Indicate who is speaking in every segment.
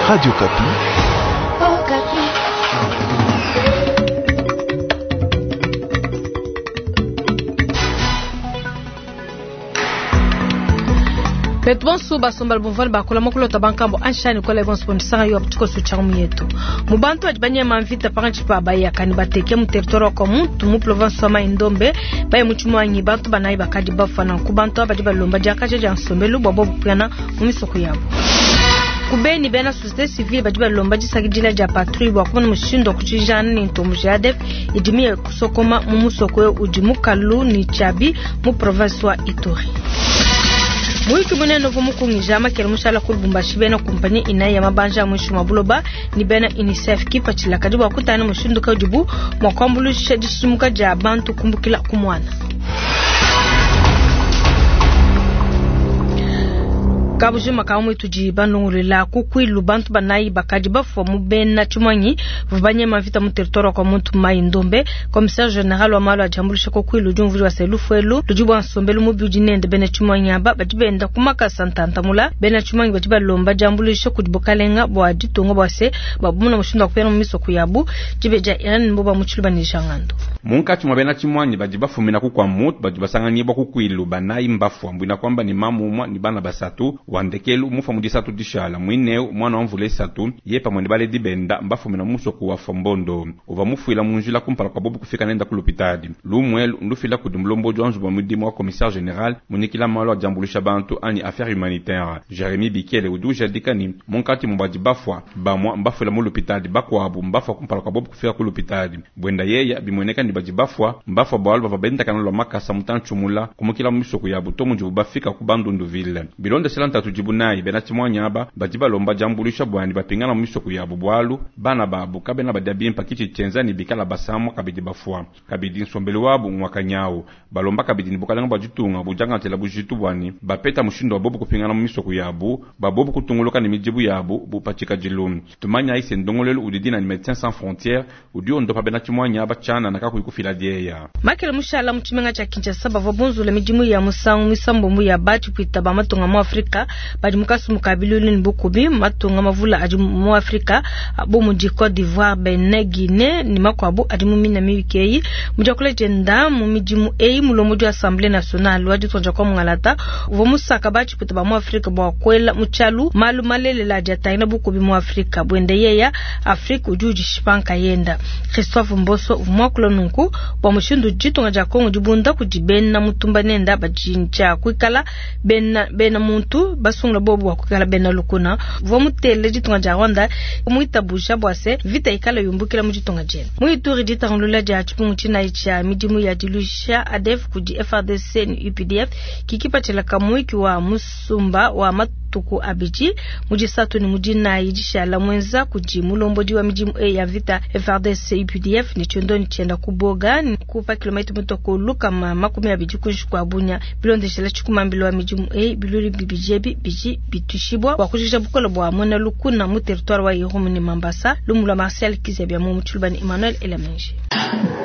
Speaker 1: Radio Okapi.
Speaker 2: Betu bonso basombala bumvua ne bakula mukulota bankambo anshani kola bonso bondisanga yo tshikoso tsha mu yetu. Mu bantu badi banyema mvita pakantshi pa bayaka ne bateke mu territoire wa Kwamuntu mu province wa Mai-Ndombe baye mu tshimuanyi bantu banayi bakadi bafua nanku bantu aba badi balomba diakaja dia nsombelu bua bobu kupingana mu misoko yabu. Ku Beni, bena societe civile badi balomba disakidila dia patrouille bua kumona mushindu wa kutshijana ne ntomboji ya ADF idi miye kusokoma mu musoko eu udi mukalu ne Tshiabi mu province wa Ituri. Muyuki munene uvua mukungija makela mushala ku Lubumbashi bena kumpanyi inayi ya mabanja a muinshi mua buloba ne bena UNICEF kipatshila kadi bua kutangila mushindu kayi udibu mua kuambuluisha dishidimuka dia bantu kumbukila ku muana. Kabujima ka mu tudi banungulula ku kwilu bantu banayi bakadi bafua mu bena tshimuangi bavua banyema mvita mu territoire wa Kwamuntu Mai Ndombe. Commissaire general wa malu a diambuluisha ku kwilu udi umvuija se lufu elu ludi bua nsombelu mubi udi nende bena tshimuangi aba badi benda ku makasa ntantamula. Bena tshimuangi badi balomba diambuluisha kudi bukalenga bua ditunga bua se babumuna mushindu wa kupingana mu misoko yabu. Dibe dia Irene Mboba mu Tshiluba ne Jean Ngandu.
Speaker 3: Munkatshi mua bena tshimuangi badi bafumina ku Kwamouth badi basanganyibua ku Kwilu, banayi mbafua, mbuena kuamba ne mamu umua ne bana basatu. Wa ndekelu mufua mu disatu dishala, muineu muana wa mvula isatu, ye pamue ne baledi benda mbafumina mu musoku wa Fombondo. Uvua mufuila mu njila kumpala kua bobu kufika nenda ku lupitadi. Lumu elu ndufila kudi mulombodi wa nzubu wa mudimu wa commissaire general munyikila malu a diambuluisha bantu anyi affaires humanitaires, Jeremie Bikele udi ujadika ne, munkatshi mua badi bafua, bamua mbafuila mu lupitadi, bakuabu mbafua kumpala kua bobu kufika ku lupitadi. Buenda yeya, bimueneka ne badi bafua, mbafua bualu bavua bendakana lua makasa mutantshi mula kumukila mu misoko yabu to mudibu bafika ku Bandundu-ville. Bilondeshela ntatu idibu nayi, bena tshimuanyi aba badi balomba diambuluisha bua ne bapingana mu misoko yabu bualu bana babu kabena badia bimpa, ki tshidi tshienza ne bikala basamua kabidi bafua. Kabidi nsombelu wabu ngua kanyawu. Balomba kabidi ne bukalenga bua ditunga budiangatshila bujitu bua ne bapeta mushindu wa bobu kupingana mu misoko yabu bua bobu kutunguluka ne midibu yabu bu pa tshikadilu. Tumanyayi se ndongoluelu udi dina ne Medecins Sans Frontieres udi ondopa bena tshimuanyi aba tshianana kakuyi kufila dieya.
Speaker 2: Makela mushala mu tshimenga tshia Kinshasa bavua bunzula midimu ya musangu muisambombo ya ba tshipuita ba matunga mu Afrika badi mu kasumbu ka biluilu ne bukubi. Matunga mavula adi mu Afrika bu mudi Cote d'Ivoire, Benin, Guinee ne makuabu adi mu mina miyuki eyi. Mu diakula dienda mu midimu eyi, mulombodi wa Assemblee nationale wa ditunga dia kwa mungalata uvua musaka ba tshipuita ba mu Afrika bua kuela mu tshialu malu malelela adi atangila bukubi mu Afrika. Buende yeya, Afrika udi udishipa nkayenda. Christophe Mboso uvua muakula nunku bua mushindu udi ditunga dia Congo dibunda kudi bena mutumba nenda badi ntshia kuikala bena bena muntu basungula bobu bua kuikala bena lukuna. Uvua mutele ditunga dia Rwanda muitabuja bua se mvita ikala yumbukila mu ditunga diende. Mu Ituri, ditangulula dia tshipungu tshinayi tshia midimu ya diluisha ADF kudi FARDC ne UPDF ki kipatshila ka muyiki wa musumba wa matuku abidi mu disatu ne mu dinayi dishala muenza kudi mulombodi wa midimu eyi ya mvita FARDC UPDF ne tshiondonyi tshienda ku Boga ne ku pa kilometa mutua ku 120 kuinshi kua Bunia. Bilondeshela tshikumambila wa midimu eyi, biluilu bibidi ebi bidi bituishibua bua kujikija bukole bua muena lukuna mu territoire wa Irumu ne Mambasa. Lumu lua Martial Kizya Biamu mu Tshiluba ne Emmanuel Elamenji.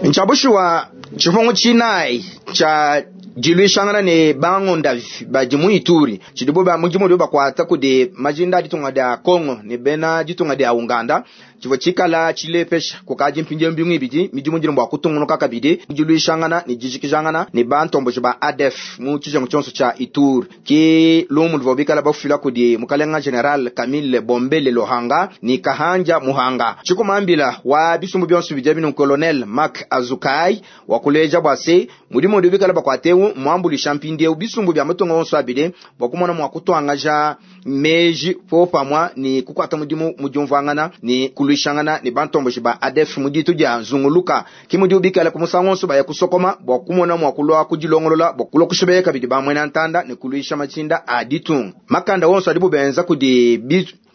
Speaker 4: Ntshia bushuwa tshipungu tshinayi tshia diluishangana ne bangondavi badi mu Ituri tshidibo ba mudimu udibo bakuata kudi majinda a ditunga dia Congo ne bena ditunga dia Ouganda tshivua tshikala tshilepesha kukadi mpindieu mbingu ibidi midimu idi ne bua kutungunuka kabidi mu diluishangana ne dijikijangana ne bantomboji ba ADF mu tshijengu tshionso tshia Ituri. Ki lumu luvua bikala bafila kudi mukalenga General Camille Bombele Lohanga ne Kahanja Muhanga. Tshikumambila wa bisumbu bionso bidi abi Colonel Mark Azukai wakuleja bua se mudimu udi bikala bakuate eu muambuluisha mpindieu bisumbu bia matunga onso abidi bua kumona mua kutuangaja meji popamua ne kukuata mudimu mu diumvuangana ne kuluishangana ne bantomboji ba ADF mu ditu dia Nzunguluka. Ki mudibu bikala ku musangu onso baya kusokoma bua kumona mua kulua kudilongolola bua kulua kushibeya kabidi ba muena ntanda ne kuluisha matshinda a ditunga. Makanda onso adibu benza kudi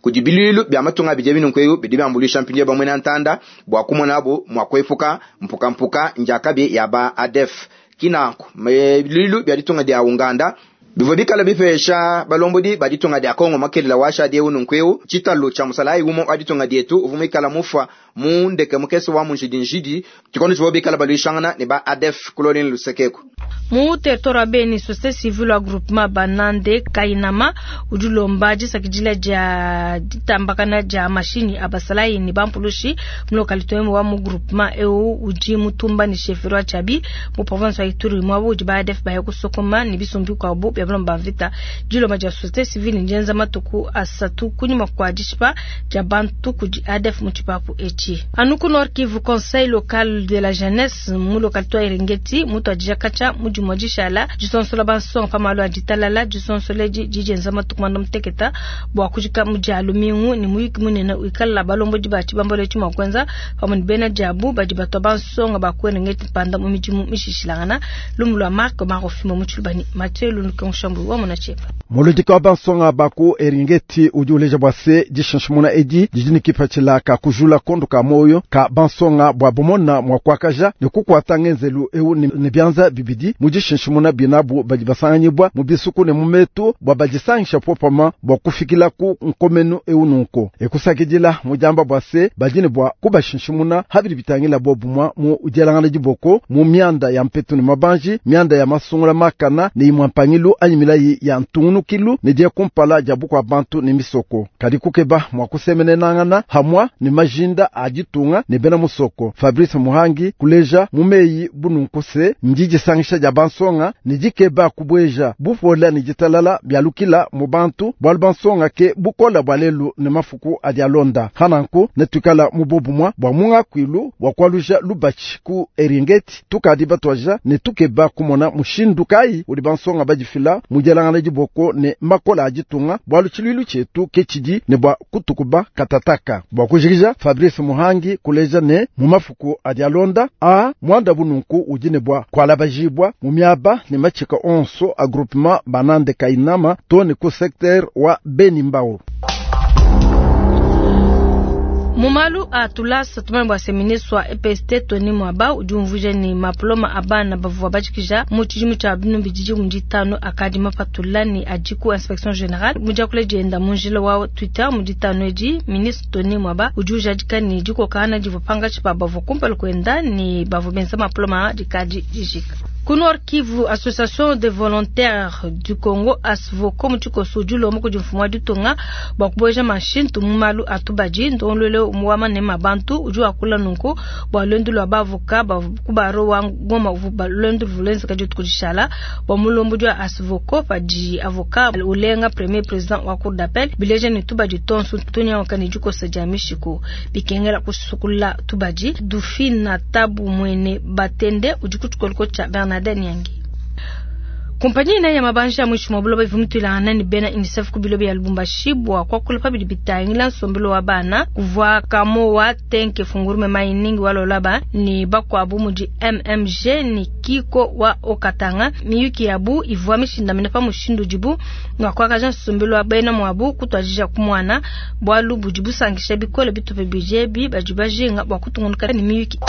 Speaker 4: kudi biluilu bia matunga abidi ebi nunku eu bidi biambuluisha mpindieu ba muena ntanda bua kumonabu mua kuepuka mpukampuka njakabi ya ba ADF. Ki nanku biluilu bia ditunga dia Uganda. Bivua bikala bipesha balombodi ba ditunga dia Kongo makelela washadi eu nunku tshitalu tshia musalayi umue wa ditunga dietu uvua muikala mufua mu ndeke mukese wa munjidinjidi tshikondo tshivua bikala baluishangana ne ba ADF kuloleni lusekeku.
Speaker 2: Mu territoire wa Beni, société civile wa groupement Banande Kainama udi ulomba disakidila dia ditambakana dia mashinyi a basalayi ne bampulushi mu localité wa mu groupement eu udi mutumba ne chefferie wa Tshabi mu province wa Ituri muaba udi ba ADF baya kusokoma ne bisumbu bikuabu bia balomba mvita. Dilomba dia société civile ndienza matuku asatu kunyima kua dishipa dia bantu kudi ADF mu tshipapu etshi. Anu ku Nord Kivu, conseil local de la jeunesse mu localité wa Eringeti mutuadija katshia mu dimue dishala disonsola bansonga pa malu a ditalala. Disonsola edi didienza matuku manda muteketa bua kujika mu dia lumingu ne muyuki munene wikala balombodi ba tshibambalu etshi mua kuenza pamue ne bena diabu badi batua bansonga ba ku Eringeti mpanda mu midimu mishishilangana. Lumu lua Marc Marofimo mu Tshilubani, Mathieu Lulukenkushambu wa mona tshiepa.
Speaker 1: Muludiki wa bansonga ba ku Eringeti udi uleja bua se dishinshimuna edi didi ne kipatshila ka kujula kondo ka moyo ka bansonga bua bumona mua kuakaja ne kukuata ngenzelu eu ne bianza bibidi mu dishinshimuna binabu badi basanganyibwa mu bisuku ne mu metu bua badisangisha popama bua kufikila ku nkomenu eu nunku. Ekusakidila mu diamba bua se badi ne bua kubashinshimuna habidi bitangila bobumwa mu dielangana diboko mu mianda ya mpetu ne mabanji, mianda ya masungula makana ne imwe mpangilu anyi milayi ya ntungunukilu ne dia kumpala dia bukua bantu ne misoko. Kadi kukeba mua kusemenenangana hamwa ne majinda a ditunga ne bena musoko. Fabrice Muhangi kuleja mumeyi bununku se ndi disangisha dia bansonga ne dikeba kubweja bupola ne ditalala bialukila mu bantu bualu bansonga ke bukola bua lelu ne mafuku adi alonda. Hananku ne tukala mu bobumwa bua mungakuilu bua kualuja lubatshi ku Eringeti tukadi batwaja ne tukeba kumona mushindu kai udi bansonga badifila mu dielangana diboko ne makola a ditunga bualu tshiluilu tshietu ke tshidi ne bua kutukuba katataka. Bua kujikija Fabrice Muhangi kuleja ne mu mafuku adi alonda a mwanda bununku udi ne bua kualabajibwa mu miaba ne matshika onso a groupement Banande Kainama to ne ku secteur wa Beni Mbau.
Speaker 2: Mu malu a tulasa tumanye bua se ministre wa EPST Tony Mwaba udi umvuija ne maploma a bana bavua bajikija mu tshidimu tshia binunu bididi mu ditanu akadi mapatula ne adi ku inspection générale. Mu diakula dienda mu njila wa Twitter mu ditanu edi, ministre Tony Mwaba udi ujadika ne dikokana divua pangatshi pa bavua kumpala kuenda ne bavua benza maploma dikadi dijika. Ku Nord Kivu, Association des volontaires du Congo ASVOCO mu tshikoso udi ulomba kudi mfumu wa ditunga bua kubueja mashintu mu malu a tubadi. Ndongoluelu wa manema bantu udi wakula nunku bua luendu lua bavoka ba ku baro wa Goma uvua luendu luvua dituku dishala bua mulombodi wa ASVOCO padi avocat ulenga premier président wa cour d'appel bileja ne tubadi tonso tunyanguka ne dikosa dia mishiko bikengela kusukula tubadi. Dufina Tabu Mwene Batende udi ku tshikoliko tshia Bernadette Nyangi. Kompanyi ina ya mabanja mwishi mwa buloba ivua mituilangana ne bena UNICEF ku biloba ya Lubumbashi bua kuakula pabidi bitangila nsombelo wa bana kuvua Kamoa Tenke Fungurume Mining wa Lolaba ne bakuabu mudi MMG ne Kiko wa Okatanga. Miyuki yabu ivua mishindamene pa mushindu udibu mua kuakaja nsombelo wa bena muabu kutuadija ku muana bualu budi busankisha bikole bitupa bidi badi bajinga bua kutungunuka ne miyuki.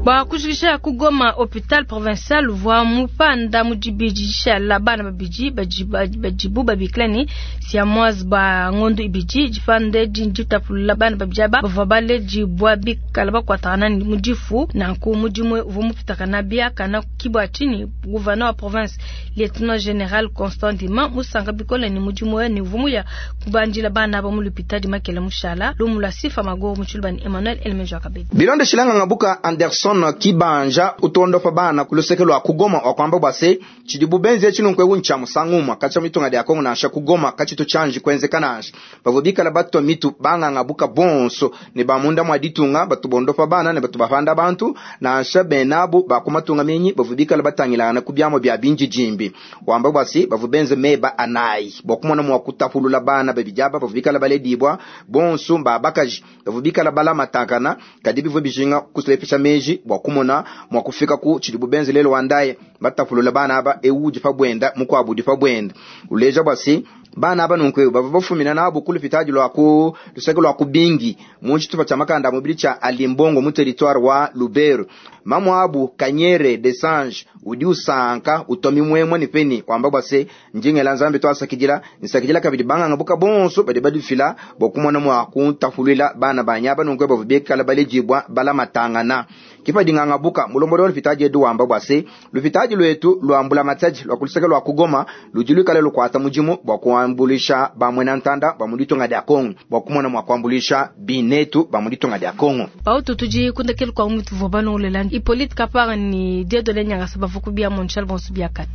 Speaker 2: Bua kujikija ku Goma hôpital provincial uvua mupanda mu dibidi dishala bana babidi badibu babikila ne siamoise ba ngondo ibidi dipande ditapulula bana babidi aba bavua baledibua bikala bakuatana mu difu. Nanku mudimu uvua mupitakana biakana kibua tshini gouverneur wa province lieutenant général Constant Ndima musanka bikole ne mudimu ne uvua muya kubandila bana aba mu lupitadi Makela Mushala lumu lua Sifa Magoro mu Tshiluba ne Emmanuel Elmenjo Akabedi.
Speaker 4: Bilonde shilanga ngabuka Anderson Kibanja utondofa bana kuluseke lwa kugoma wakwamba bwase chidi bubenzi echinunku ncha musangumwa kacha mitunga dia Kongo nasha kugoma kachitu chanji kwenzekana bavubikala batwa mitu banga ngabuka bonso ne bamunda mwa ditunga batubondofa bana ne batubafanda bantu nasha benabu bakumatunga menyi bavubikala batangilana kubyamo bya binji jimbi wamba bwase bavubenze meba anai bokumona mwa kutapulula bana babijaba bavubikala baledibwa bonso mbabakaji bavubikala bala matakana kadi bivu bijinga kusulepesha meji bwa kumona mwa kufika ku chidi bubenzi lelo wandaye Batapulula bana aba, ewu udi pa buenda, mukuabu udi pa buenda. Uleja bua se, bana aba nunku eu bavua bafumina nabu ku lupitadi lua ku luseke lua ku Bingi mu tshitupa tshia makanda a mubidi tshia Alimbongo mu territoire wa Lubero. Mamu abu Kanyere Desange udi usanka utua mimuemue ne peni wamba bua se, ndi ngela Nzambi tuasakidila, nsakidila kabidi banganga buka bonso badi badifila bua kumona mua kuntapuluila bana banyi aba nunku bavua bikala baledibua balamatangana. Kipa dinganga buka mulombodi wa lupitadi edu wamba bua se, lupitadi luetu lua mbulamatadi lua ku luseke lua ku Goma ludi luikale lukuata mudimu bua kuambuluisha ba muena ntanda ba mu ditunga dia Kongo, bua kumona mua kuambuluisha binetu ba mu ditunga dia Kongo.
Speaker 2: Pautu tudi kundekelu kwa mutu vua balongolela Hippolyte Kapara ni Dieudonné Nyangasa bavua kubia Montreal bonso biakane.